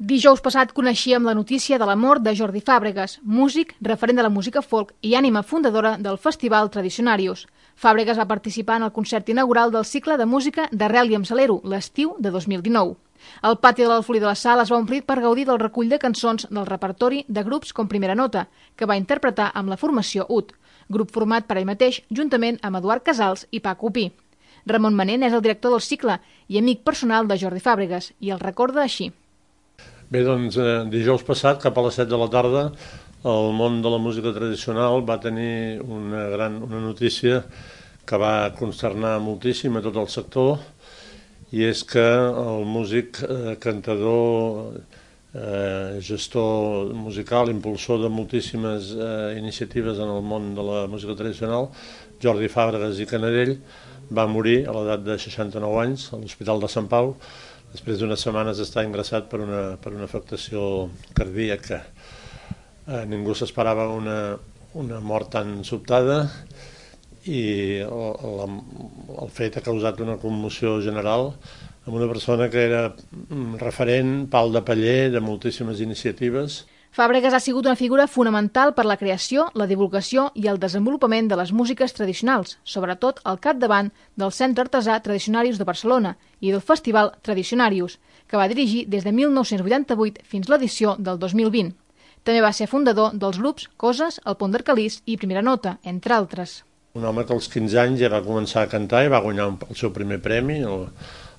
Dijous passat coneixíem la notícia de la mort de Jordi Fàbregas, músic, referent de la música folk i ànima fundadora del Festival Tradicionarius. Fàbregas va participar en el concert inaugural del cicle de música d'Arrel i amb Salero, l'estiu de 2019. El pati de l'Alfolí de la Sal es va omplir per gaudir del recull de cançons del repertori de grups com Primera Nota, que va interpretar amb la formació UT, grup format per ell mateix juntament amb Eduard Casals i Paco Pi. Ramon Manent és el director del cicle i amic personal de Jordi Fàbregas i el recorda així. Bé, doncs, dijous passat, cap a les 7 de la tarda, el món de la música tradicional va tenir una notícia que va consternar moltíssim a tot el sector, i és que el músic, cantador, gestor musical, impulsor de moltíssimes iniciatives en el món de la música tradicional, Jordi Fàbregas i Canadell, va morir a l'edat de 69 anys a l'Hospital de Sant Pau, després d'unes setmanes d'estar ingressat per una afectació cardíaca. Ningú s'esperava una mort tan sobtada i el fet ha causat una commoció general amb una persona que era referent, pal de paller de moltíssimes iniciatives. Fàbregas ha sigut una figura fonamental per la creació, la divulgació i el desenvolupament de les músiques tradicionals, sobretot al capdavant del Centre Artesà Tradicionarius de Barcelona i del Festival Tradicionarius, que va dirigir des de 1988 fins l'edició del 2020. També va ser fundador dels grups Coses, El Pont d'Arcalís i Primera Nota, entre altres. Un home que als 15 anys ja va començar a cantar i va guanyar el seu primer premi,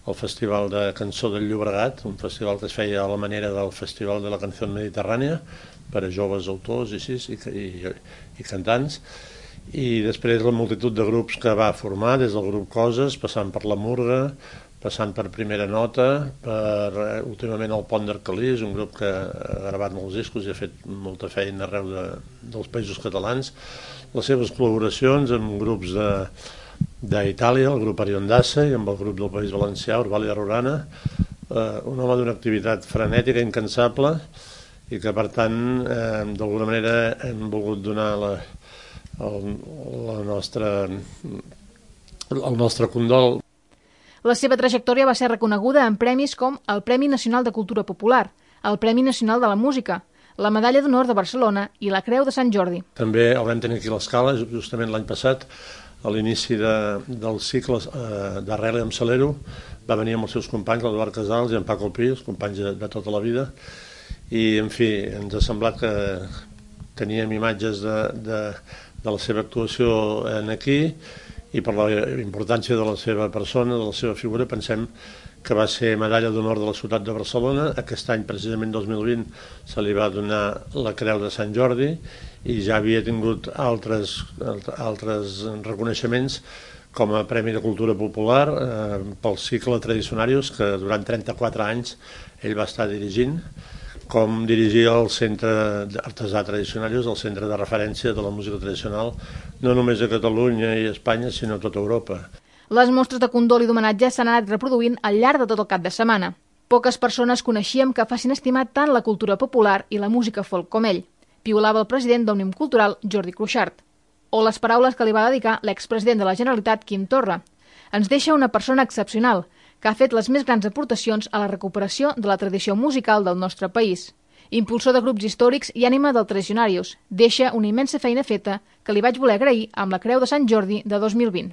el Festival de Cançó del Llobregat, un festival que es feia a la manera del Festival de la Canció Mediterrània per a joves autors i cantants, i després la multitud de grups que va formar, des del grup Coses, passant per La Murga, passant per Primera Nota, últimament el Pont d'Arcalís, un grup que ha gravat molts discos i ha fet molta feina arreu dels països catalans, les seves col·laboracions amb grups d'Itàlia, el grup Ariondassa, i amb el grup del País Valencià, Orvalia Rurana, un home d'una activitat frenètica, incansable, i que, per tant, d'alguna manera hem volgut donar el nostre condol. La seva trajectòria va ser reconeguda en premis com el Premi Nacional de Cultura Popular, el Premi Nacional de la Música, la Medalla d'Honor de Barcelona i la Creu de Sant Jordi. També el vam tenir aquí a l'Escala, justament l'any passat, a l'inici del cicle d'Arrel i amb Salero, va venir amb els seus companys, l'Eduard Casals i en Paco Pi, els companys de tota la vida, i, en fi, ens ha semblat que teníem imatges de la seva actuació aquí, i per la importància de la seva persona, de la seva figura, pensem que va ser medalla d'honor de la ciutat de Barcelona. Aquest any, precisament 2020, se li va donar la Creu de Sant Jordi i ja havia tingut altres reconeixements com a Premi de Cultura Popular pel cicle Tradicionarius, que durant 34 anys ell va estar dirigint, com dirigia el Centre Artesà Tradicionarius, el centre de referència de la música tradicional, no només a Catalunya i a Espanya, sinó a tota Europa. Les mostres de condol i d'homenatge s'han anat reproduint al llarg de tot el cap de setmana. Poques persones coneixíem que facin estimar tant la cultura popular i la música folk com ell, piulava el president d'Òmnium Cultural, Jordi Cuixart. O les paraules que li va dedicar l'expresident de la Generalitat, Quim Torra. Ens deixa una persona excepcional, que ha fet les més grans aportacions a la recuperació de la tradició musical del nostre país. Impulsor de grups històrics i ànima del Tradicionarius, deixa una immensa feina feta que li vaig voler agrair amb la Creu de Sant Jordi de 2020.